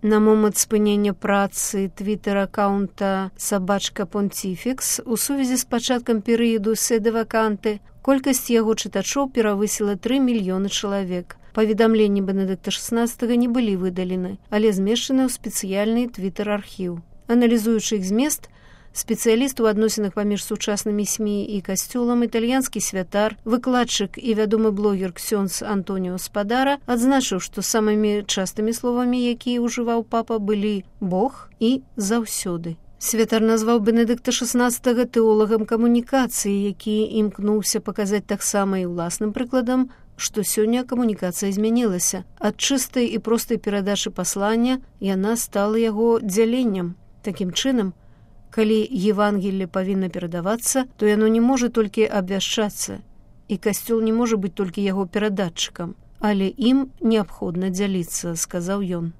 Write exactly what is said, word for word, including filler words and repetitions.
На момант спынення працы твітер-аккаунта «Сабачка Понтифікс» у сувязі з пачаткам перыяду седа-ваканты колькасць яго чытачоў перавысіла тры мільёны чалавек. Паведамленні Бенедыкта шаснаццатага не былі выдалены, але змешчаны ў спецыяльны твітер-архіў. Аналізуючы іх змест, спецыяліст у адносінах паміж сучаснымі СМІ і касцёлам, італьянскі святар, выкладчык і вядомы блогер ксёндз Антоніо Спадара адзначыў, што самымі частымі словамі, якія ўжываў папа, былі «Бог» і «заўсёды». Святар назваў Бенедыкта шаснаццатага тэолагам камунікацыі, які імкнуўся паказаць таксама і ўласным прыкладам, што сёння камунікацыя змянілася. Ад чыстай і простай перадачы паслання яна стала яго дзяленнем. Такім чынам, калі Евангелле павінна перадавацца, то яно не можа толькі абвяшчацца, і касцёл не можа быць толькі яго перадатчыкам, але ім неабходна дзяліцца, сказаў ён.